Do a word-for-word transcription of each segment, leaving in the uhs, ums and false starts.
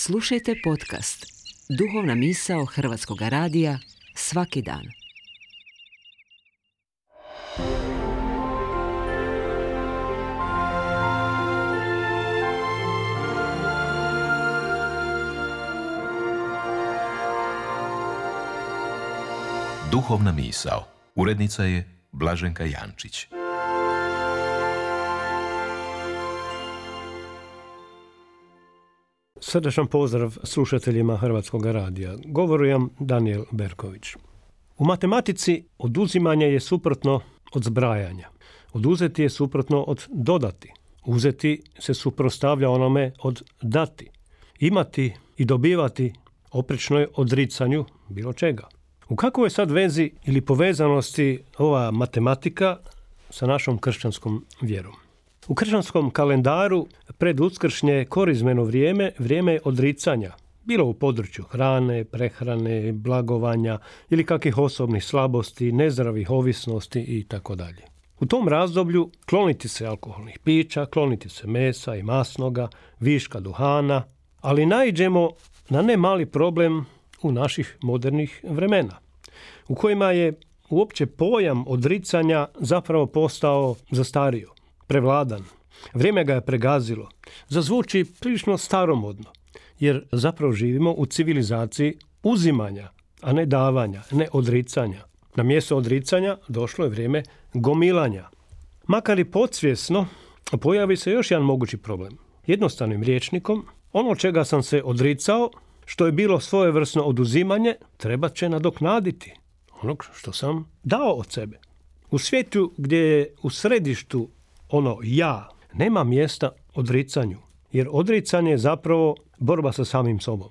Slušajte podcast Duhovna misao Hrvatskog radija svaki dan. Duhovna misao. Urednica je Blaženka Jančić. Srdačan pozdrav slušateljima Hrvatskog radija. Govorim Danijel Berković. U matematici oduzimanje je suprotno od zbrajanja. Oduzeti je suprotno od dodati. Uzeti se suprotstavlja onome od dati. Imati i dobivati oprečno je odricanju bilo čega. U kakvoj je sad vezi ili povezanosti ova matematika sa našom kršćanskom vjerom? U kršćanskom kalendaru pred uskršnje korizmeno vrijeme, vrijeme je odricanja, bilo u području hrane, prehrane, blagovanja ili kakvih osobnih slabosti, nezdravih ovisnosti itd. U tom razdoblju kloniti se alkoholnih pića, kloniti se mesa i masnoga, viška duhana, ali naiđemo na ne mali problem u naših modernih vremena, u kojima je uopće pojam odricanja zapravo postao zastario, prevladan. Vrijeme ga je pregazilo. Zazvuči prilično staromodno, jer zapravo živimo u civilizaciji uzimanja, a ne davanja, ne odricanja. Na mjesto odricanja došlo je vrijeme gomilanja. Makar i podsvjesno, pojavi se još jedan mogući problem. Jednostavnim rječnikom, ono čega sam se odricao, što je bilo svojevrsno oduzimanje, treba će nadoknaditi onog što sam dao od sebe. U svijetu gdje je u središtu ono ja, nema mjesta odricanju, jer odricanje je zapravo borba sa samim sobom.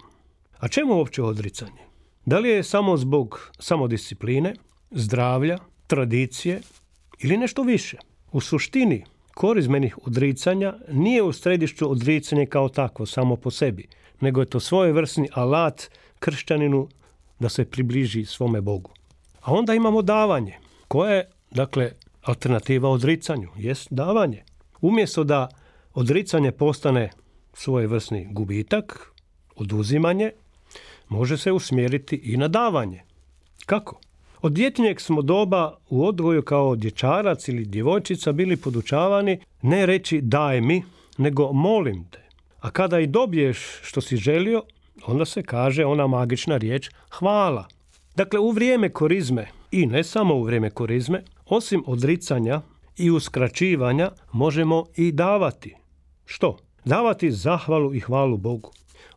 A čemu uopće odricanje? Da li je samo zbog samodiscipline, zdravlja, tradicije ili nešto više? U suštini korizmenih odricanja nije u središtu odricanje kao takvo samo po sebi, nego je to svojevrsni alat kršćaninu da se približi svome Bogu. A onda imamo davanje, koje je, dakle, alternativa odricanju, jest davanje. Umjesto da odricanje postane svojevrsni gubitak, oduzimanje, može se usmjeriti i na davanje. Kako? Od djetinjeg smo doba u odgoju kao dječarac ili djevojčica bili podučavani ne reći daj mi, nego molim te. A kada i dobiješ što si želio, onda se kaže ona magična riječ hvala. Dakle, u vrijeme korizme, i ne samo u vrijeme korizme, osim odricanja i uskraćivanja, možemo i davati. Što? Davati zahvalu i hvalu Bogu.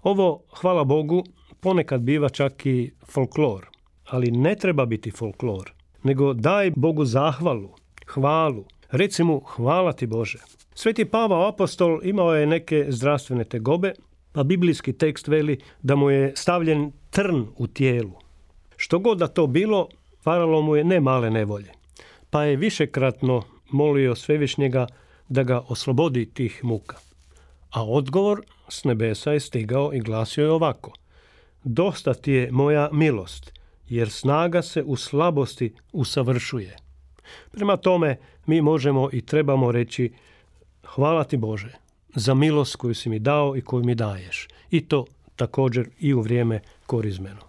Ovo, hvala Bogu, ponekad biva čak i folklor, ali ne treba biti folklor, nego daj Bogu zahvalu, hvalu. Reci mu hvala ti Bože. Sveti Pavao apostol imao je neke zdravstvene tegobe, pa biblijski tekst veli da mu je stavljen trn u tijelu. Što god da to bilo, faralo mu je ne male nevolje, pa je višekratno molio Svevišnjega da ga oslobodi tih muka. A odgovor s nebesa je stigao i glasio je ovako: dosta ti je moja milost, jer snaga se u slabosti usavršuje. Prema tome, mi možemo i trebamo reći hvala ti Bože za milost koju si mi dao i koju mi daješ. I to također i u vrijeme korizmeno.